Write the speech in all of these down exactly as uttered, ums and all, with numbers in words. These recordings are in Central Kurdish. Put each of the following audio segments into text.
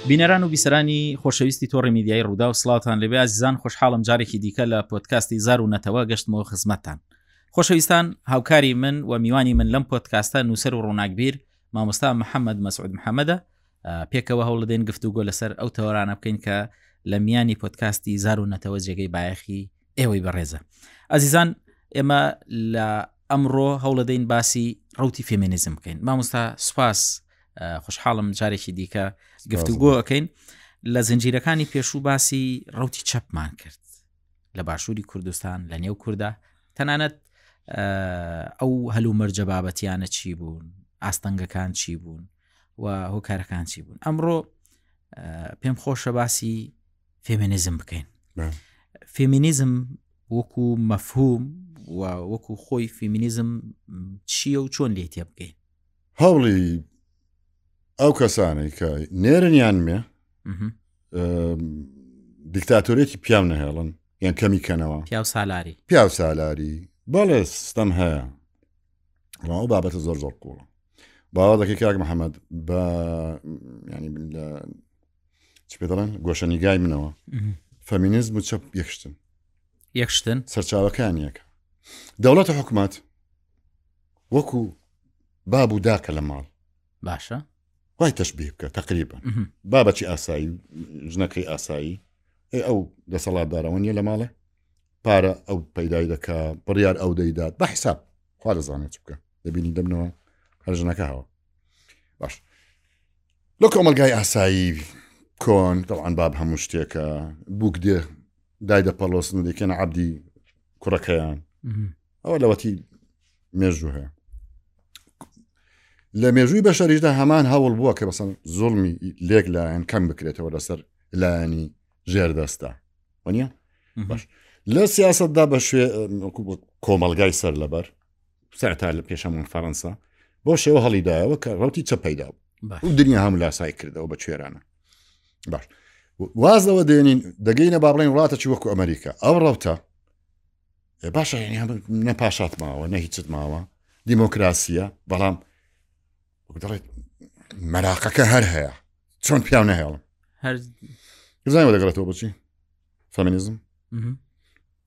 بینەران و بیسەرانی خۆشەویستی تۆڕی میدیایی ڕوودا و سڵاوتان لێبێ ئازیزان. خۆشحاڵم جارێکی دیکە لە پۆدکاستی زار و نەتەوە گەشتمەوە خزمەتتان. خۆشەویستان، هاوکاری من و میوانی من لەم پۆدکاستە نووسەر و ڕووناکبیر مامۆستا محەممەد مەسعود محەممەدە. پێکەوە هەوڵدەین گفتوگۆ لەسەر ئەو تەوەرانە بکەین کە لە میانی پۆدکاستی زار و نەتەوە جێگەی بایەخی ئێوەی بەڕێزە. ئازیزان، ئێمە لە ئەمڕۆ هەوڵدەین باسی ڕەوتی فێمینیزم بکەین. مامۆستا سوپاس، خۆشحاڵم جارێکی دیکە گفتوگۆ ئەەکەین. لە زنجیرەکانی پێشوو باسی ڕەوتی چەپمان کرد لە باشووری کوردستان، لە نێو کووردا، تەنانەت ئەو هەلومەرجە بابەتیانە چی بوون، ئاستەنگەکان چی بوون و هۆکارەکان چی بوون. ئەمڕۆ پێم خۆشە باسی فێمینیزم بکەین. فێمینیزم وەکو مەفهوم و وەکو خۆی فێمینیزم چییە و چۆن لێ تێ بکەین؟ هەوڵی ئەو کەسانەی کە نێرنیان مێ دیکتاتۆرێکی پیاو نەهێڵن یان کەمی کەنەوە، پیاو سالاری، پیاو سالاری بەڵێ ستەم هەیە. ئەو بابەتە زۆر زۆر قوڵە. باوە دەکەی کاک محەممەد بە ینی لە چ پێ دەڵێن گۆشەنیگای منەوە فەمینیزم و چەپ یەکشتن، یەکشتن سەرچاوەکان یەکە. دەوڵەت و حکومەت وەکو باب و داکە لە ماڵ، باشە وای تەشبیه بکە تقریبا بابەتی ئاسایی، ژنەکەی ئاسایی، ئەو دەسەڵاتدارەوە نییە لە ماڵێ، پارە ئەو پەیدای دەکا، بڕیار ئەو دەیدات بە حیساب، خوا دەزانێت چ بکە، دەبینی دەبنەوە هەر ژنەکە هەوە. باش لە کۆمەلگای ئاسایی کۆن طبعا باب هەموو شتێکە، بووک دێ دای دەپەڵۆسن و دەیکەنە عەبدی کوڕەکەیان، ئەوە لەوەتی مێژوو هەیە. لە مێژووی بەشەریشدا هەمان هەوڵ بووە کە بەسەن زوڵمی لێک لایەن کەم بکرێتەوە لەسەر لایەنی ژێردەستە، وەنیە؟ باش لە سیاسەتدا بە شوێ کۆمەلگای سەر لەبەر سەرەتا لە پێشەمون فەڕەنسا بۆ شێوە هەڵیدایەوە کە ڕەوتی چەپ پەیدا بوو و دنیا هەموو لاسای کردەوە بە کوێرانە. باش واز لەوە دێنین دەگەینە با بڵێین وڵاتە چی وەکو ئەمریکا. ئەو ڕەوتە باشە نە پاشات ماوە نە هیچت ماوە، دیموکراسیە، بەڵام دەڵێت مەراقەکە هەر هەیە، چۆن پیاو نەهێڵم. هەر زانیوە دەگەڕێتەوە بۆچی فەمینیزم؟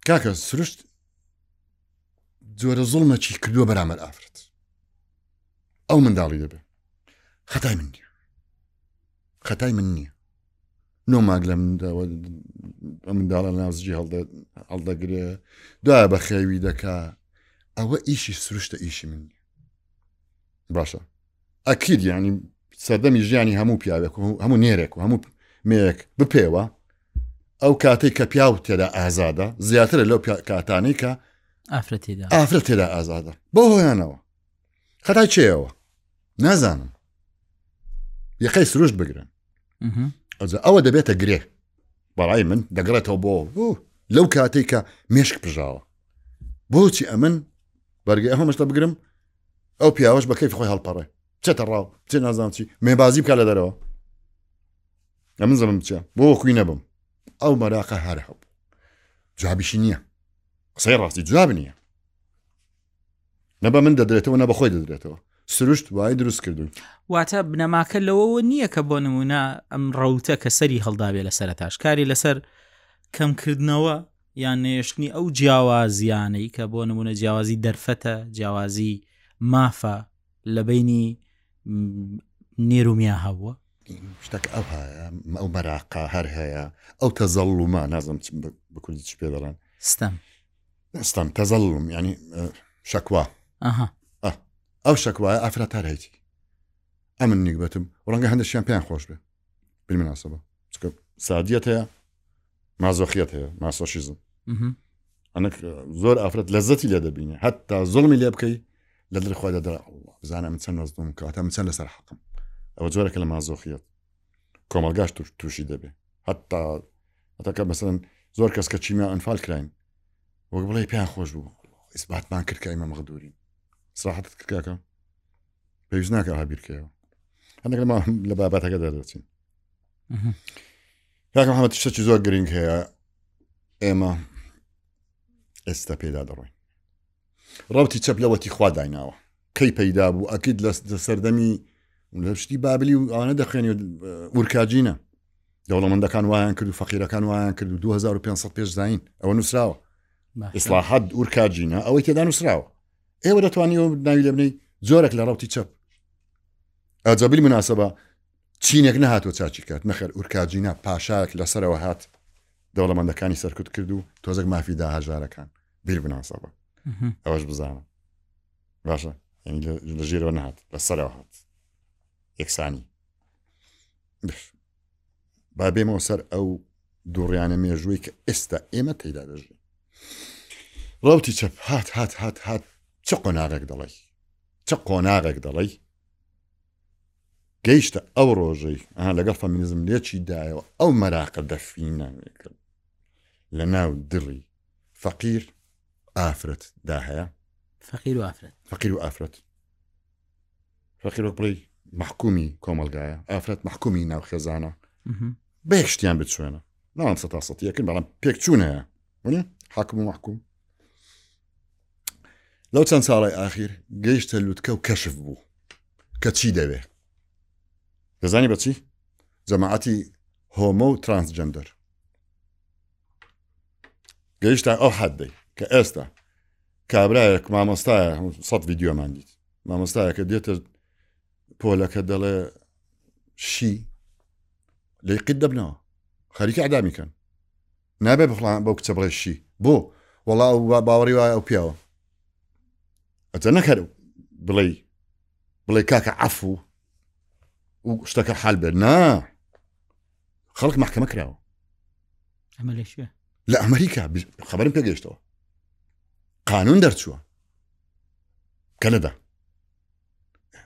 کاکە سروشت جۆرە زوڵمەکی کردووە بەرامبەر ئافرەت، ئەو منداڵی دەبێ. خەتای من نییە، خەتای من نییە. نۆ ماگ لە منداڵە ناوزجی هەڵدەگرێ، دوایە بە خێوی دەکا، ئەوە ئیشی سروشتە، ئیشی من نییە. باشە ئەکید یعنی سەردەمی ژیانی هەموو پیاوێک و هەموو نێرێک و هەموو مێیەک بپێوە، ئەو کاتێک کە پیاو تێدا ئازادە زیاترە لەو کاتانەی کە ئافرەت تێدا ئازادە. بۆ هۆیانەوە خەتای چێەوە نازانم، یەقەی سروشت بگرن. ئەوە دەبێتە گرێ بەڕای من، دەگەڕێتەوە بۆ لەو کاتێک کە مێشک پژاوە. بۆچی ئەمن بەرگەی ئەمە مشتە بگرم، ئەو پیاوەش بە کەیفی خۆی هەڵپەڕێ، بچێتە ڕاو، بچێ نازانم چی، مێبازی بکە لە دەرەوە، ئەمن زەمم بچێ بۆ وەکوی نەبم. ئەو مەراقە هەر هەبوو، جوابیشی نییە، قسەی ڕاستی جواب نییە، نە بە من دەدرێتەوە نە بە خۆی دەدرێتەوە. سروشت وای دروست کردوون. واتە بنەماکە لەوەوە نییە کە بۆ نمونە ئەم ڕەوتە کە سەری هەڵدابێ لە سەرەتاش کاری لەسەر کەمکردنەوە یان نێشتنی ئەو جیاوازیانەی کە بۆ نمونە جیاوازی دەرفەتە، جیاوازی مافە لە بینی نێرومیا هەبووە. شتێک ئەو هەیە، ئەو مەراقە هەر هەیە، ئەو تەزەڵومە، نازم بە کوردی چ پێ دەڵێن، ستەم، ستەم، تەزەڵوم یعنی شەکوا. ئەو شەکوایە ئافرەت هەر هەیتی. ئەمن نیگبەتم ڕەنگە هەندێکیان پێیان خۆش بێ بالمناسبە، چونکە سادیەت هەیە، مازۆخیەت هەیە، ماسۆشیزم. ئەنک زۆر ئافرەت لەزەتی لێ دەبینێ، حتا زوڵمی لێ بکەی لە دڵی خۆی دەدەڵێ ئەڵڵا بزانە من چەند مەزلوم کەواتە من چەند لەسەر حەقم. ئەوە جۆرێکە لە مازۆخیەت، کۆمەلگاش تووشی دەبێ. حتا حتا کە مەسەڵەن زۆر کەس کە چیمیا ئەنفال کراین وەک بڵێ پێیان خۆش بوو، ئیسباتمان کرد کە ئێمە مەغدورین. سراحەتت کرد کاکە، پێویست ناکە ئەوها بیرکەیەوە. هەندێک لە بابەتەکە دەردەچین. کاکە محەممەد شتێکی زۆر گرنگ هەیە ئێمە ئێستا پێدا دەڕۆین. ڕەوتی چەپ لەوەتی خوا دایناوە، کەی پەیدا بوو؟ ئەکید لە سەردەمی لە شتی بابلی و ئەوانە دەخوێنی و ئورکاجینە. دەوڵەمەندەکان وایان کرد و فەقیرەکان وایان کرد و دوو هەزار و پێنج سەد پێش زایین ئەوە نووسراوە. ئیسلاحات ئورکاجینە ئەوەی تێدا نووسراوە. ئێوە دەتوانی ناوی لێ بنەی زۆرێک لە ڕەوتی چەپ. ئەجا بالمناسبە چینێک نەهاتوە چاچی کرد، نەخێر ئورکاجینا پاشایەک لەسەرەوە هات دەوڵەمەندەکانی سەرکوت کرد و تۆزێک مافی دا هەژارەکان. بالمناسبە ئەوەش بزانە باشە، یعنی لە ژێرەوە نەهات، لەسەرەوە هات یەکسانی. با بێمەوە سەر ئەو دووڕیانە مێژووی کە ئێستا ئێمە تێدا دەژین. ڕەوتی چەپ هات هات هات هات چ قۆناغێک دەڵێی، چ قۆناغێک دەڵێی گەیشتە ئەو ڕۆژەی ئەها لەگەڵ فەمینیزم لێکی دایەوە ئەو مەراقە دەفینە لە ناو دڵی فەقیر ئافرەت دا هەیە. فەقیر و ئافرەت، فەقیر و ئافرەت، فەقیر وەک بڵێی مەحکومی کۆمەڵگایە، ئافرەت مەحکومی ناو خێزانە. بە یەک شتیان بچوێنە، ناڵێم سەتا سەتی یەکن، بەڵام پێکچوون هەیە، وەنیە؟ حاکم و مەحکوم. لەو چەند ساڵی ئاخیر گەیشتە لوتکە و کەشف بوو کە چی دەوێ. دەزانی بەچی؟ جەماعەتی هۆمۆ و ترانسجەندەر گەیشتە ئەو حەدەی کە ئێستا کابرایەک مامۆستایە، سەد ڤیدیۆمان دیت، مامۆستایەکە دێتە پۆلەکە دەڵێ شی لێی قیت دەبنەوە، خەریکە ئەدامی کەن، نابێ بخڵان بەو کچە بڵێ شی بۆ وەڵا ئەو باوەڕی وایە ئەو پیاوە. ئەجە نەکەر بڵێ بڵێ کاکە عەفو و شتەکە حال بێت، نا خەڵک محکەمە کراوە. ئەمە لەکوێ؟ لە ئەمریکا خەبەرم پێگەیشتەوە، قانون دەرچووە کەنەدا.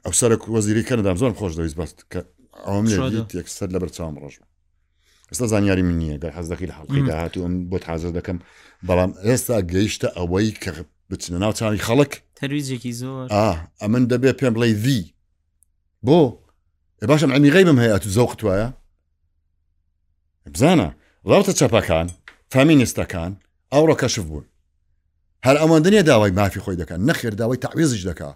ئەو سەرۆک وەزیری کەنەدام زۆرم خۆش دەویست بەس کە ئەوم لێ دیت یەکسەر لەبەر چاوم ڕۆژ بوو. ئێستا زانیاری من نییە، گەر حەز دەکەی لە حەڵقەی داهاتوو ئەم بۆت حازر دەکەم، بەڵام ئێستا گەیشتە ئەوەی کە بچنە ناو چاوی خەڵک تەرویجێکی زۆر. ئا ئەمن دەبێ پێم بڵێ ڤی بۆ باشم عەمی غەیبم هەیە، ئەتو زەوقت وایە. بزانە ڕەوتە چەپەکان فامینیستەکان ئەوڕۆ کەشف بوون، هەر ئەوەندە نییە داوای مافی خۆی دەکەن، نەخێر داوای تەعویزیش دەکا.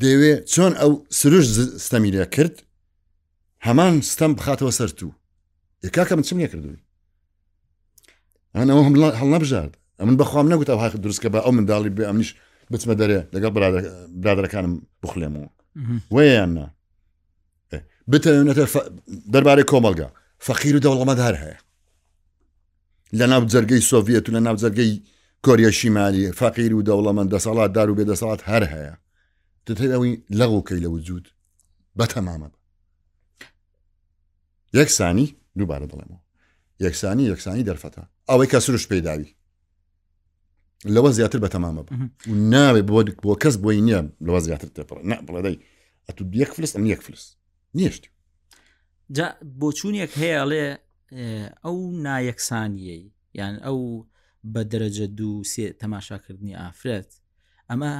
دەیەوێ چۆن ئەو سروش ستەمی لێ کرد هەمان ستەم بخاتەوە سەر تو. کاکە من چم لێ کردووی؟ ئەن ئەوە هەڵنەبژارد، ئەمن بەخوام نەگوت ئەو حەق دروستکە بە ئەو منداڵی بێ ئەمنیش بچمە دەرێ لەگەڵ برادەرەکانم بخلێمەوە وەیان نا. بتەوێنێتە دەربارەی کۆمەڵگا فەقیر و دەوڵەمەند هەر هەیە لە ناو جەرگەی سۆڤیەت و لە ناو جەرگەی کۆریای شیمالی، فەقیر و دەوڵەمەند، دەسەڵات دار و بێدەسەڵات هەر هەیە. دەتەوێت ئەوەی لەغوکەی لە وجود بەتەمامە. یەکسانی دووبارە دەڵێمەوە، یەکسانی یەکسانی دەرفەتە، ئەوەی کە سروش پێداوی لەوە زیاتر بەتەمامە بە و ناوێ بۆ کەس بۆی نییە لەوە زیاتر تێپەڕێ. نا بڵێ دەی ئەتو یەک فلس ئەم یەک فلس نیشتی. جا بۆچوونێک هەیە ئەڵێ ئەو نایەکسانیەی یان ئەو بە دەرەجە دوو سێ تەماشاکردنی ئافرەت ئەمە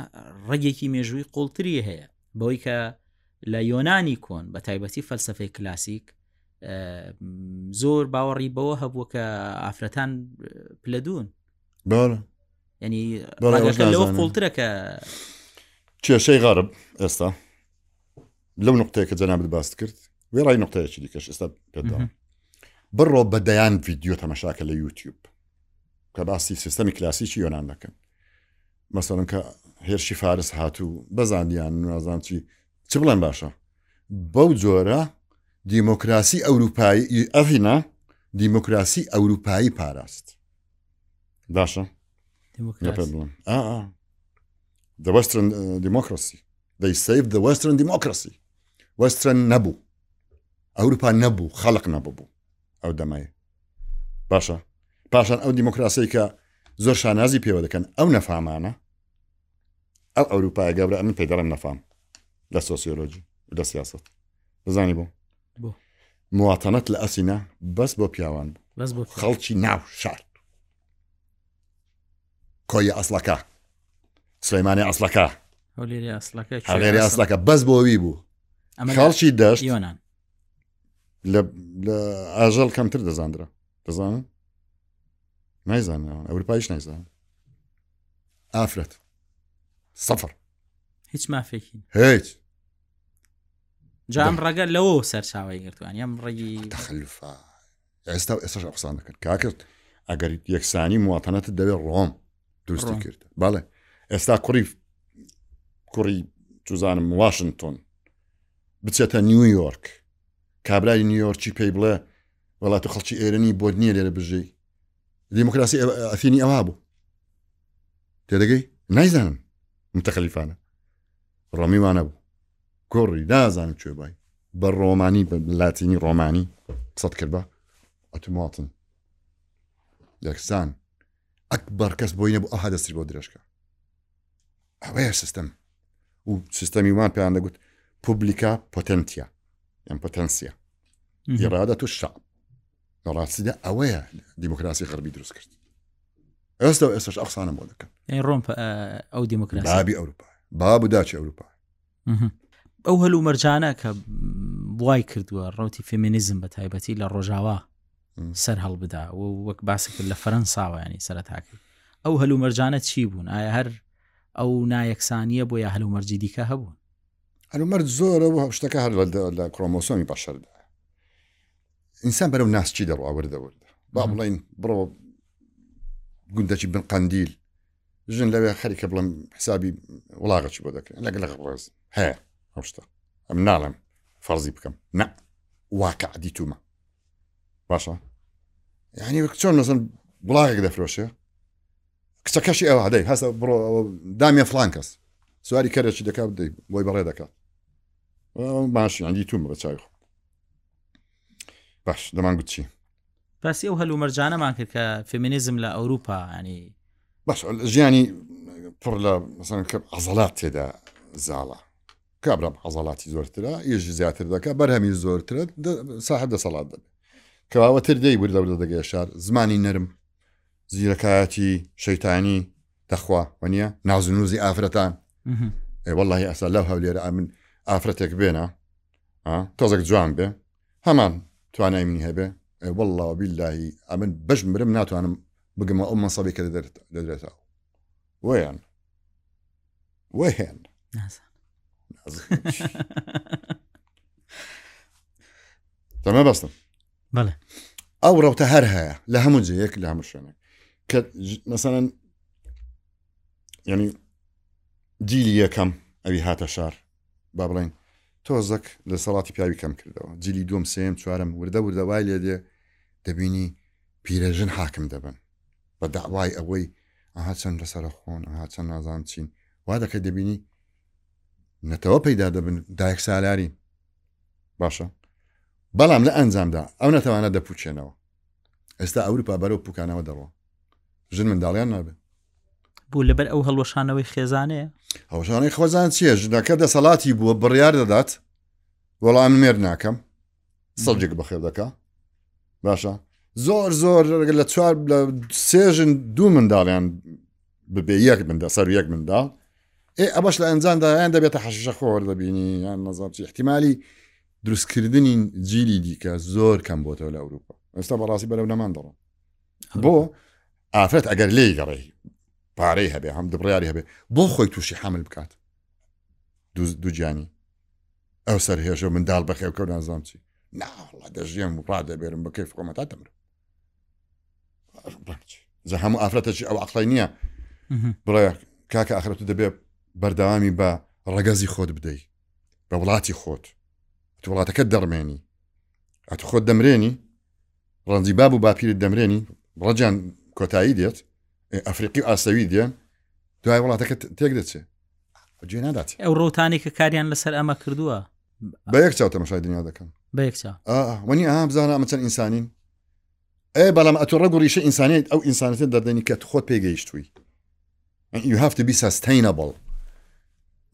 ڕەگێکی مێژووی قوڵتری هەیە، بەوەی کە لە یۆنانی کۆن بە تایبەتی فەلسەفەی کلاسیک زۆر باوەڕی بەوە هەبووە کە ئافرەتان پلەدوون. بەڵێ ینی ڕەگەکە لەوە قوڵترە کە کێشەی غەرب ئێستا لەو نقطەیە کە جەنابت باست کرد وێڕای نقطەیەکی دیکەش ئێستا پێداوە. بڕۆ بە دەیان ڤیدیۆ تەمەشاکە لە یوتیوب کە باسی سیستەمی کلاسیکی یۆنان دەکەن. مەسەڵەن کە هێرشی فارس هاتوو بەزاندیان نازان چی چ بڵێن باشە، بەو جۆرە دیموکراسی ئەوروپایی ئەڤینا دیموکراسی ئەوروپایی پاراست. باشە The Western democracy. They saved the Western democracy. Western نەبوو، ئەوروپا نەبوو، خەڵق نەبوو ئەو دەمایە. باشە پاشان ئەو دیموکراسی کە زۆر شانازی پێوە دەکەن ئەو نەفامانە، ئەو ئەوروپای گەورە ئەمن پێی دەڵێم نەفام لە سۆسیۆلۆجی لە سیاسەت. دەزانی بۆ مواتەنەت لە ئەسینا بەس بۆ پیاوان بوو، خەڵکی ناو شار، کۆیە ئەسڵەکە، سلەیمانی ئەسڵەکە، هەولێری ئەسڵەکە بەس بۆ وی بوو. خەڵکی دەشت لە ئاژەڵ کەمتر دەزاندرا. دەزانن؟ نایزانن، ئەوروپایش نایزانن. ئافرەت سەفر، هیچ مافێکی هیچ. جا ئەم ڕەگە لەوە سەرچاوی گرتووان، ئەم ڕەگی تەخەلوفە. ئێستا و ئێستاش ئەو قسان دەکەن کاکرد ئەگەر یەکسانی مواتەنەتت دەوێت ڕۆم دروستی کرد بەڵێ ئێستا کوڕی کوڕی چوزانم واشنگتۆن بچێتە نیویۆرک کابرای نیویۆرکی پێی بڵێ وڵات و خەڵکی ئێرانی بۆت نییە لێرە بژی دیموکراسی ئەثینی ئەوها بوو تێدەگەی نایزانم متەخەلیفانە ڕۆمی وانە بوو کوڕی نازانم کوێ بای بە ڕۆمانی بە لاتینی ڕۆمانی قسەت کرد بە ئەتوماتن یەکسان ئەکبەر کەس بۆی نەبوو ئەوها دەستی بۆ درێژکە ئەوەیە سیستەم و سیستەمی وان پێیان دەگوت پوبلیکا پۆتنتیا یان پۆتەنسیا ئیرادەت الشعب لە ڕاستیدا ئەوەیە دیموکراسی غەربی دروست کرد ئێستا و ئێستاش ئەقسانە بۆ دەکەن ڕۆم ئەو دیموکراسی بابی ئەوروپا باب و داچی ئەوروپا ئەو هەلومەرجانە کە وای کردووە ڕەوتی فێمینیزم بە تایبەتی لە ڕۆژاوا سەر هەڵبدا و وەک باسی کرد لە فەرەنساوە ینی سەرەتا کرد ئەو هەلومەرجانە چی بوون؟ ئایا هەر ئەو نایەکسانیە بۆ یا هەلومەرجی دیکە هەبوون؟ هەلومەرج زۆرە و شتەکە هەر لە کرۆمۆسۆمی بەشەردا ئینسان بەرەو ناسچی دەڕوا وردە وردە با بڵێین بڕۆ گوندەکی بن قەندیل ژن لەوێ خەریکە بڵێم حسابی وڵاغەکی بۆ دەکرێن لەگەڵ ڕێز هەیە ئەو شتە ئەم ناڵێم فەرزی بکەم نە واقع دیتومە باشە یعنی وەک چۆن مەسەن وڵاغێک دەفرۆشێ کچەکەشی ئەوە دەی هەستە بڕۆ دامیە فڵان کەس سواری کەرێکی دەکات دەی بۆی بەڕێ دەکات باش یان دیتومە بە چاوی خۆم باش دەمان گوت چی باسی ئەو هەلومەرجانەمان کرد کە فێمینیزم لە ئەوروپا ینی باش ژیانی پڕ لە مەسەن کە عەزەلات تێدا زاڵە کابرا عەزەلاتی زۆرترە ئیش زیاتر دەکات بەرهەمی زۆرترە ساحب دەسەڵات دەبێت کەواوەتر دەی وردە وردە دەگەیە شار زمانی نەرم زیرەکایەتی شەیتانی دەخوا وەنیە نازنوزی ئافرەتان ئێ واللهی ئەسا لەو هەولێرە ئەمن ئافرەتێک بێنە تۆزێک جوان بێ هەمان توانای منی هەبێ والله بیللاهی ئەمن بەش مرم ناتوانم بگەمە ئەو مەنسەبی کە دەدرێتەوە ویان ویان تەمە بەستم بەڵێ ئەو ڕەوتە هەر هەیە لە هەموو جێیەک لە هەموو شوێنێک کە مەسەڵەن یعنی جیلی یەکەم ئەوی هاتە شار با بڵێن تۆزەک لە سەڵاتی پیاوی کەم کردەوە جیلی دووەم سێم چوارم وردە وردە وای لێ دێ دەبینی پیرەژن حاکم دەبن بە داوای ئەوەی ئەها چەند لەسەرە خۆن ئەها چەند نازان چین وا دەکەی دەبینی نەتەوە پەیدا دەبن دایک سالاری باشە بەڵام لە ئەنجامدا ئەو نەتەوانە دەپوچێنەوە ئێستا ئەوروپا بەرەو پوکانەوە دەڕۆ ژن منداڵیان نابێت بوو لەبەر ئەو هەڵوەشانەوەی خێزانەیە هەڵوەشانەوەی خێزان چییە ژنەکە دەسەڵاتی بووە بڕیار دەدات وەڵام من مێرد ناکەم سەڵجێک بەخێر دەکا باشە زۆر زۆر لە چوار لە سێ ژن دوو منداڵیان ببێ یەک منداڵ سەر یەک منداڵ ئێ ئەمەش لە ئەنجامدا یان دەبێتە حەشیشە خۆر دەبینی یان نەزانم چی احتیمالی دروستکردنی جیلی دیکە زۆر کەم بۆتەوە لە ئەوروپا ئێستا بەڕاستی بەرەو نەمان دەڕۆن بۆ ئافرەت ئەگەر لێی گەڕێ پارەی هەبێ هەم دبڕیاری هەبێ بۆ خۆی تووشی حەمل بکات دوو گیانی ئەو سەر هێژە منداڵ بەخێوکە و نازانم چی ناوەڵا دەژیێم و ڕادەبێرم بە کەیف خۆمە تا دەمرم جا هەموو ئافرەتێکی ئەو عەقڵی نییە بڵێ کاکە ئاخرەت دەبێ بەردەوامی بە ڕەگەزی خۆت بدەی بە وڵاتی خۆت تو وڵاتەکەت دەڕمێنی ئەتو خۆت دەمرێنی ڕەنجی باب و باپیرت دەمرێنی ڕەجان کۆتایی دێت ئەفریقی و ئاسەوی دێن دوای وڵاتەکە تێک دەچێت جێ نادات ئەو ڕۆتانی کە کاریان لەسەر ئەمە کردووە بە یەک چاو تەماشای دنیا دەکەن بە یەک چاو وەنی ئەها بزانە ئەمە چەند ئینسانین ئێ بەڵام ئەتۆ ڕەگ و ڕیشە ئینسانیت ئەو ئینسانەتە دەردەنی کە خۆت پێگەیشتووی you have to be sustainable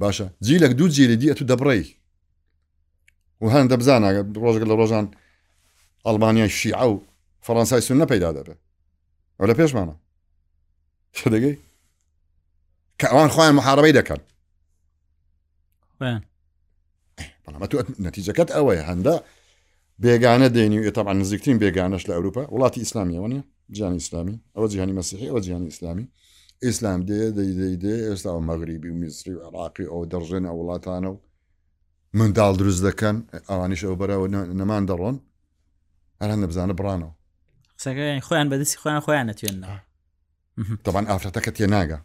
باشە جیلێک دوو جیلی دی ئەتو دەبڕێی و هەندە بزانە ڕۆژگە لە ڕۆژان ئەڵمانیای شیعە و فەڕەنسای سوننە پەیدا دەبێت ئەو لە پێشمانە دەگەی کە ئەوان خۆیان محاربەی دەکەن بەڵام تۆ نەتیجەکەت ئەوەیە هەندە بێگانە دێنی و طبعا نزیکترین بێگانەش لە ئەوروپا وڵاتی ئیسلامیەوە نیە جیهانی ئیسلامی ئەوە جیهانی مەسیحی ئەوە جیهانی ئیسلامی ئیسلام دێ دەی دەی دێ ئێستا ئەو مەغریبی و میسری و عێراقی ئەو دەڕژێن ئەو وڵاتانە و منداڵ دروست دەکەن ئەوانیش ئەو بەرەوە نەمان دەڕۆن هەر هەندە بزانە بڕانەوە خۆیان بەدەستی خۆیان خۆیان نەتوێننەوە. طبعا ئافرەتەکە تێناگا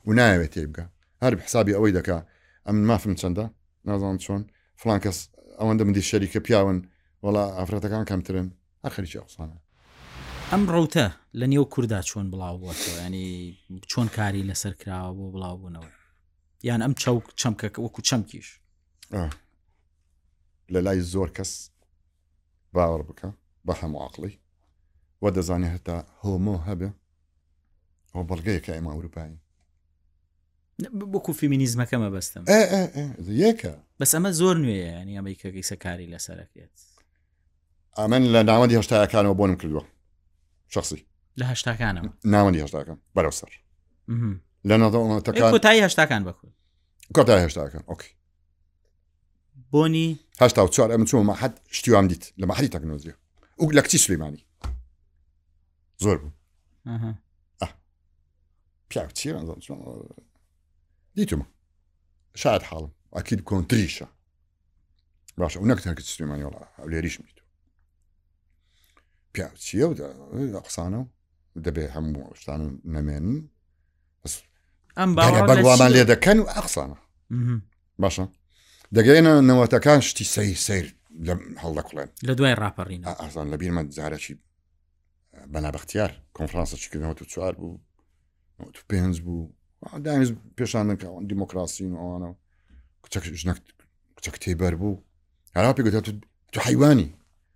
و ناوێت تێ بگە، هەر حسابی ئەوەی دەکا ئەمن مافم چەندە نازانم چۆن فلان کەس ئەوەندە من دی شەریکە پیاون وەڵا ئافرەتەکان کەمترن، هەر خەریکی ئەو قسانە. ئەم ڕەوتە لە نێو کووردا چۆن بڵاو بووەتەوە؟ ینی چۆن کاری لەسەر کراوە بۆ بڵاو بوونەوە؟ یان ئەم چەوک چەمکە وەکو چەمکیش لە لای زۆر کەس باوەڕ بکە بە هەموو عەقڵی وە دەزانێت هەتا هۆمۆ هەبێ ئەو بەڵگەیەکە ئێمە ئەوروپایی وەکو فێمینیزمەکە مەبەستم. یەکە بەس ئەمە زۆر نوێیە، ینی ئەمەی کە ئیسە کاری لەسەرەکرێت. ئەمن لە ناوەندی هەشتاکانەوە بۆنم کردووە شخصی لە هەشتاکانەوە، ناوەندی هەشتاکان بەرەو سەر لە نەتەکان کۆتایی هەشتاکان بەکورد کۆتایی هەشتاکان okay بۆنی هەشتا و چوار ئەمن چوومە مەحەد شتیوام دیت لە مەحەدی تەکنۆلۆژیا و لە کچی سلێمانی زۆر بوو. پیاو چییە دیتومە شاید حاڵم ئەکید کۆنتریشە باشە و نەک تەنکە سلێمانی وەڵا هەولێریشم دیتووە. پیاو چییە و قسانە و دەبێ هەموو شتان نەمێنن ئەم بەگوامان لێ دەکەن و ئەقسانە باشە دەگەینە نەوەتەکان شتی سەیر سەیر هەڵدەکوڵێن لە دوای ڕاپەڕینە. ئازان لە بیرمە جارێکی بەنابەختیار کۆنفرانسە چیکردنەوە و چوار بوو نەوەت و پێنج بوو دامیز پێشان دەکا دیموکراسین و ئەوانە کچەک ژنەک کچەک تێبەر بوو هەرا پێ گوت تو حیوانی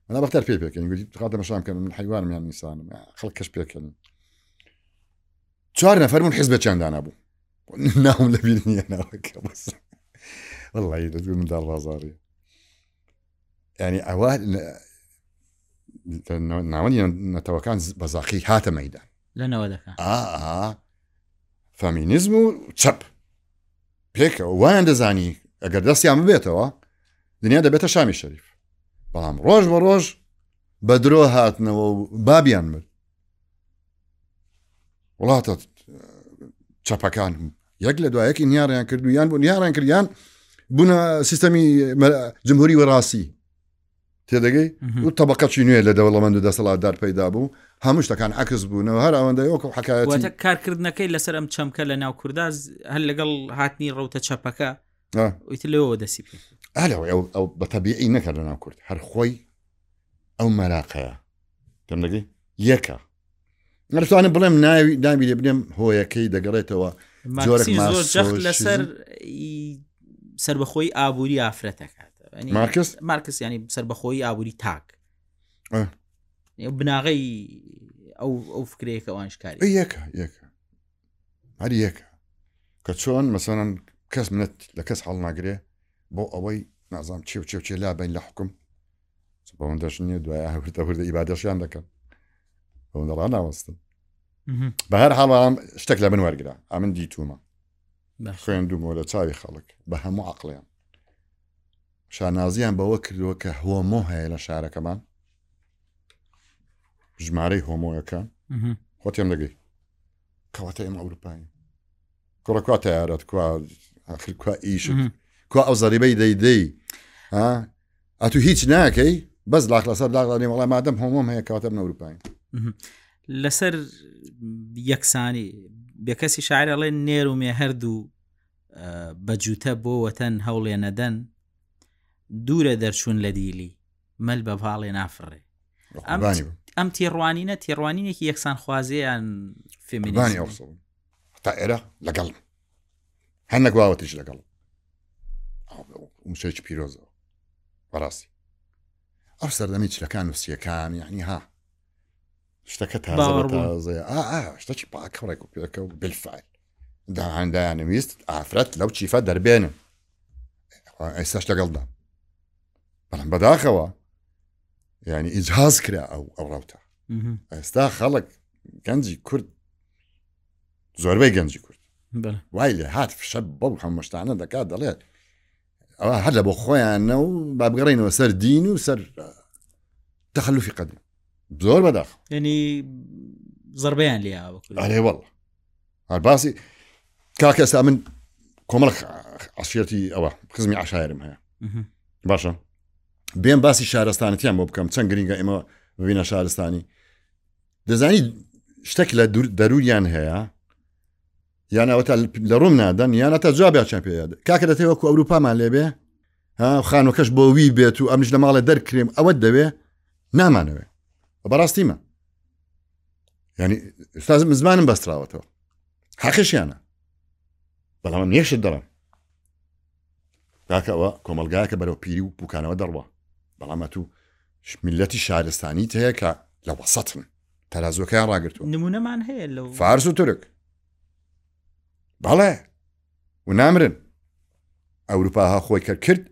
بەنابەختیار پێ پێکەنی گوتی خاتە مەشام کەن من حیوانم یان ئینسانم خەڵک کەش پێکەنی. چوار نەفەر بوون حیزبێکیان دانابوو ناوم لەبیر نییە ناوەکە بەس والله لە منداڵ بازاڕی یعنی ئەوە ناوەندی نەتەوەکان بەزاقی هاتە مەیدان لە نەوەدەکان. ئا فامینیزم و چەپ پێکەوە وایان دەزانی ئەگەر دەستیان ببێتەوە دنیا دەبێتە شامی شەریف، بەڵام ڕۆژ بە ڕۆژ بە درۆ هاتنەوە و بابیان مرد. وڵاتە چەپەکان یەک لە دوایەکی نیاریان کرد و یان بوو نیاریان کردیان بوونە سیستەمی جمهوری وەڕاستی تێدەگەی و طبقەی نوێ لە دەوڵەمەند و دەسەڵاتدار پەیدا بوو، هەموو شتەکان عەکس بوونەوە هەر ئەوەندەی وەکو حەکایەتی. واتە کارکردنەکەی لەسەر ئەم چەمکە لە ناو کووردا هەر لەگەڵ هاتنی ڕەوتە چەپەکە ئیتر لەوەوە دەستی پێ ئالەوە ئەو ئەو بە تەبیعی نەکرد لە ناو کورد، هەر خۆی ئەو مەراقەیە تێم دەگەی یەکە. نەتوانم بڵێم ناوی ناوی لێ بنێم هۆیەکەی دەگەڕێتەوە جۆرێک زۆر جەخت لەسەر سەربەخۆی ئابووری ئافرەتەکات. مارکس مارکس ینی سەربەخۆی ئابووری تاک بناغەی ئەو ئەو فکرەیەکە ئەوانش کاری یەکە یەکە هەر یەکە کە چۆن مەسەڵەن کەس منەت لە کەس هەڵ ناگرێ بۆ ئەوەی نازانم چێ و چێ و چێ لا بین لە حکوم بەوەندەش نییە دوای هەوردە هەوردە ئیبادەشیان دەکەن بەوەندە ڕاناوەستن. بە هەر حاڵ شتێک لە من وەرگرە ئەمن دیتومە خوێندومەوە لە چاوی خەڵک بە هەموو عەقڵیان شانازیان بەوە کردووە کە هۆمۆ هەیە لە شارەکەمان ژمارەی هۆمۆیەکان خۆ تێم دەگەی کەواتە ئێمە ئەوروپایین کوڕە کوا تەیارەت کوا ئاخر کوا ئیشت کوا ئەو زەریبەی دەیدەی ئەتو هیچ ناکەی بەس لاق لەسەر لاق دانێ وەڵا مادەم هۆمۆم هەیە کەواتە من ئەوروپایین. لەسەر یەکسانی بێکەسی شاعر ئەڵێ نێر و مێ هەردوو بە جووتە بۆ وەتەن هەوڵێ نەدەن دوورە دەرچوون لە دیلی مەل بە پاڵێ نافڕێ. ئەم تێڕوانینە تێڕوانینێکی یەکسانخوازیان فێمینیزم تا ئێرە لەگەڵم هەندێک واوەتیش لەگەڵ وشەیەکی پیرۆزەوە بەڕاستی ئەو سەردەمی چلەکان و سیەکان یعنی ها شتەکە تازە تازەیە ئا ئا شتەکی پاکە ڕێک و پێکە و بالفعل دایانویست ئافرەت لەو چیفە دەربێنن ئێستاش لەگەڵدا بەڵام بەداخەوە یعنی ئیجاز کرا ئەو ئەو ڕەوتە. ئێستا خەڵک گەنجی کورد زۆربەی گەنجی کورد وای لێ هات فشە بەو هەموو شتانە دەکات دەڵێت ئەوە هەر لە بۆ خۆیانە و با بگەڕێنەوە سەر دین و سەر تەخەلوفی قەدیم زۆر بەداخ یعنی زەربەیان لێ ئاوە. ئەرێ وەڵڵا هەر باسی کاکە ئێستا من کۆمەڵک عەشیرەتی ئەوە خزمی عەشایرم هەیە باشە بێم باسی شارستانەتیان بۆ بکەم چەند گرنگە ئێمە ببینە شارستانی. دەزانی شتێک لە دەروریان هەیە یان ئەوە تا لە ڕوم نادەن یان تا جوابیان پێ کاکە دەتەوێ وەکو ئەوروپامان لێبێ ها خانوەکەش بۆ وی بێت و ئەمنیش لە ماڵێ دەرکرێم ئەوەت دەوێ نامانەوێ بەڕاستیمە یعنی ئوستاز زمانم بەستراوەتەوە حەقیشیانە بەڵام ئەم نیشت دەڵێم کاکە ئەوە کۆمەلگایەکە بەرەو پیری و پوکانەوە دەڕوا بەڵام ئەتوو میلەتی شارستانیت هەیە کە لە وەسەتن تەرازوەکەیان ڕاگرتووە نمونەمان هەیە لەو فارس و تورک بەڵێ و نامرن ئەوروپا ها خۆی کە کرد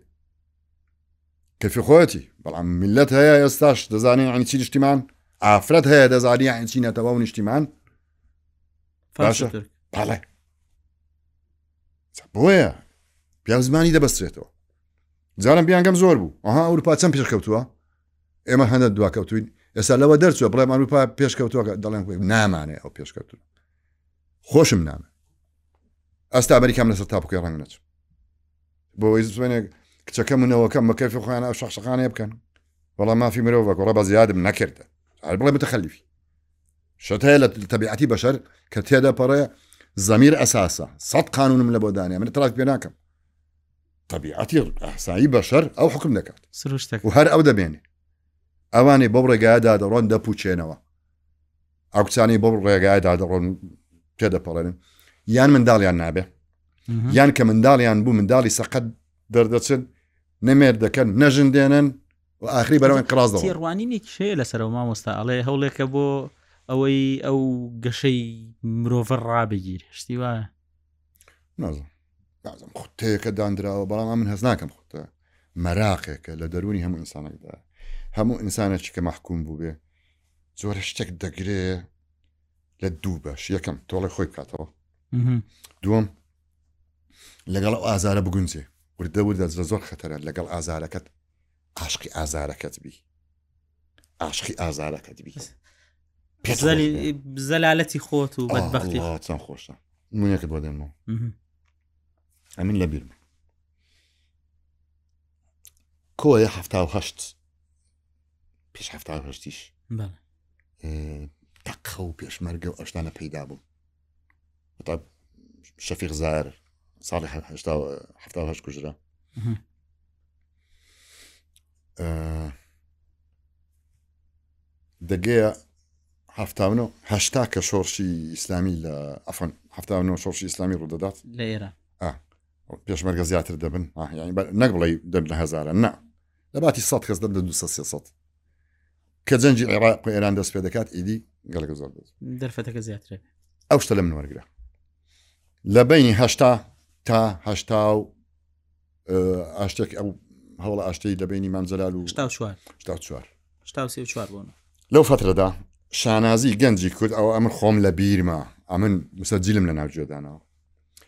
کەفی خۆیەتی بەڵام میلەت هەیە ئێستاش دەزانێ یعنی چی نیشتیمان ئافرەت هەیە دەزانی یعنی چی نەتەوە و نیشتیمان باشە بەڵێ بۆیە پیاو زمانی دەبەسترێتەوە جارم بیانگەم زۆر بوو ئەها ئەوروپا چەند پێشکەوتووە ئێمە هەندە دواکەوتوین ئێستا لەوە دەرچووە بڵێم ئەوروپا پێشکەوتووە دەڵێن نامانێ ئەو پێشکەوتوو خۆشم نامێ ئەستا ئەمریکام لەسەر تاپوکەی ڕەنگ نەچم بۆ ئەوەی بزانێ کچەکەم و نەوەکەم بە کەفی خۆیان ئەو شەخشەخانەیە بکەن وەڵام مافی مرۆڤە گۆڕە بە زیادم نەکردە هەر بڵێ متەخەلیفی شت هەیە لە تەبیعەتی بەشەر کە تێدەپەڕێ زەمیر ئەساسە سەد قانونم لە بۆ دانێ من اعتراف پێ ناکەم طبیعەتی ئەحسایی بەشەر ئەو حکم دەکات سروشتەکە و هەر ئەو دەبێنێ ئەوانەی بەو ڕێگایەدا دەڕۆن دەپوچێنەوە ئەو کچانەی بەو ڕێگایەدا دەڕۆن تێدەپەڕێنن یان منداڵیان نابێ یان کە منداڵیان بوو منداڵی سەقەت دەردەچن نەمێر دەکەن نەژن دێنن و ئاخری بەرەو ئینقراز دەڕۆن. تێڕوانینێکیش هەیە لەسەرەوە مامۆستا ئەڵێ هەوڵێکە بۆ ئەوەی ئەو گەشەی مرۆڤە ڕابگیر شتی وایە نازم نازم خوتەیەکە دانراوە بەڵام من هەز ناکەم خوتە مەراقێکە لە دەرونی هەموو ئینسانێکدا هەموو ئینسانێکی کە مەحکوم بوو بێ زۆرە شتێک دەگرێ لە دوو بەش یەکەم تۆڵێ خۆی بکاتەوە دووەم لەگەڵ ئەو ئازارە بگونجێ وردە وردە زۆر خەتەرە لەگەڵ ئازارەکەت عاشقی ئازارەکەت بی عاشقی ئازارەکەت بی زەلالەتی خۆت و بەدبەختی چەند خۆشە نمونەیەکت بۆ دێنمەوە ئەمن لەبیرم کۆیە حەفتا و هەشت پێش حەفتا و هەشتیش تەقە و پێشمەرگە و ئەشتانە پەیدا بوو هەتا شەفیق زار ساڵی حەفتا و هەشت کوژرا دەگەیە حەفتا و نۆ هەشتا کە شۆڕشی ئیسلامی لە عەفوەن حەفتا و نۆ شۆڕشی ئیسلامی ڕوودەدات لە ئێران پێشمەرگە زیاتر دەبن یعنی نەک بڵێ دەبن لە هەزارە نا لە باتی سەد کەس دەبن لە دوو سێ سەد کە جەنگی عێراق و ئێران دەست پێ دەکات ئیدی گەلەکە زۆر دەست دەرفەتەکە زیاترە ئەو شتە لە من وەرگرە لە بەینی هەشتا تا هەشتا و ئاشتێک ئەو هەوڵە ئاشتەی لە بەینی مام جەلال و هەشتا و چوار هەشتا و چوار هەشتا و سێ و چوار بوون لەو فترەدا شانازی گەنجی کورد ئەوە ئەمن خۆم لە بیرمە ئەمن مسەجیلم لە ناو گوێدانەوە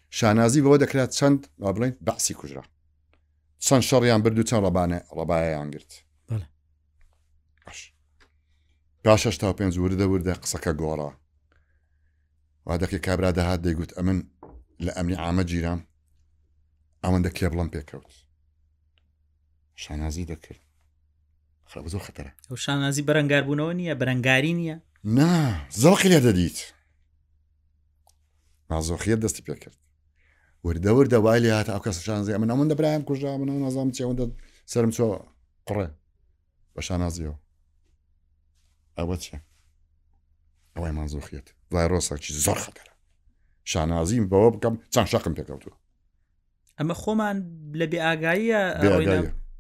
شانازی بەوە دەکرات چەند با بڵێن بەعسی کوژرا چەند شەڕیان برد و چەند ڕەبانە ڕەبایەیان گرت باش پاش هەشتا و پێنج وردە وردە قسەکە گۆڕا وا دەکەی کابرا دەهات دەیگوت ئەمن لە ئەمنی عامە گیرام ئەوەندە کێبڵم پێکەوت شانازی دەکرد خراپە زۆر خەتەرە ئەو شانازی بەرەنگاربوونەوە نییە بەرەنگاری نییە نا زەوقی لێ دەدیت نازۆخیت دەستی پێکرد وردە وردە وای لێ هاتە ئەو کەسە شانازی ئەمن ئەوەندە برایم کوژرا من ئەو نازانم چی ئەوەندە سەرم چۆ قڕێ بە شانازیەوە ئەوە چیە ئەوەی مازۆخیەت ڤایرۆسێکی زۆر خەتەرە شانازیم بەوە بکەم چەند شەقم پێکەوتووە ئەمە خۆمان لە بێئاگاییە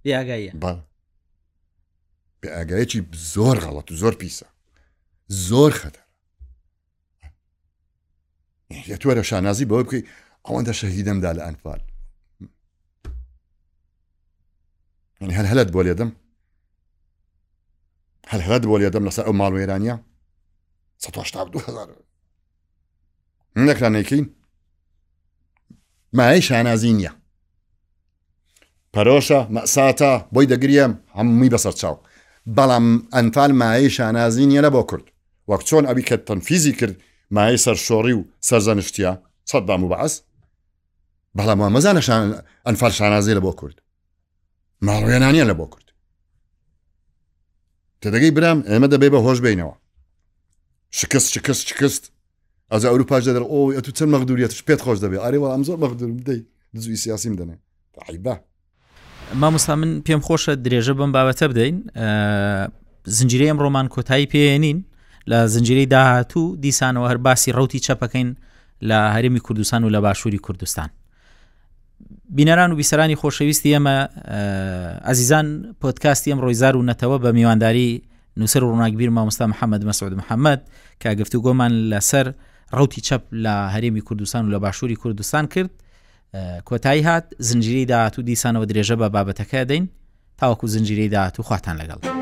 بێئاگاییە بێئاگاییەکی زۆر غەڵەت و زۆر پیسە زۆر خەتەرە لە توەرە شانازی بەوە بکەی ئەوەندە شەهیدەمدا لە ئەنفال یعنی هەر هەلت بۆ لێدەم هەر هەلت بۆ لێدەم لەسەر ئەو ماڵ وێرانیە سەد و هەشتا و دوو هەزار نەکرا نەیکەین مایەی شانازی نییە پەرۆشە مەساتە بۆی دەگریم هەمووی بەسەر چاو بەڵام ئەنفال مایەی شانازی نییە لە بۆ کورد وەک چۆن ئەوی کە تەنفیزی کرد مایەی سەرشۆڕی و سەرزەنشتیە سەدام و بەعس بەڵام وا مەزانە ئەنفال شانازی لە بۆ کورد ماڵوێنانیە لە بۆ کورد تێدەگەی برام ئێمە دەبێ بە هۆش بینەوە شکست شکست شکست ئەوجا ئەوروپاش دەدەر ئۆی ئەتوو چەند مەغدوریەتش پێت خۆش دەبێ ئەرێ وەڵام زۆر مەغدورم دەی دزوی سیاسیم دەنێ عیبە. مامۆستا من پێم خۆشە درێژە بەم بابەتە بدەین. زنجیرەی ئەمڕۆمان کۆتایی پێێنین لە زنجیرەی داهاتوو دیسانەوە هەر باسی ڕوتی چەپەکەین لە هەرێمی کوردستان و لە باشووری کوردستان. بینەران و بیسەرانی خۆشەویستی ئێمە ئازیزان، پۆدکاستی ئەمڕۆی زار و نەتەوە بە میوانداری نووسەر و ڕووناکبیر مامۆستا محەممەد مەسعود محەممەد کە گفتوگۆمان لەسەر ڕوتی چەپ لە هەرێمی کوردستان و لە باشووری کوردستان کرد کۆتایی هات. زنجیرەی داهاتوو دیسانەوە درێژە بە بابەتەکە دەین تاوەکو زنجیرەی داهاتوو خواتان لەگەڵ.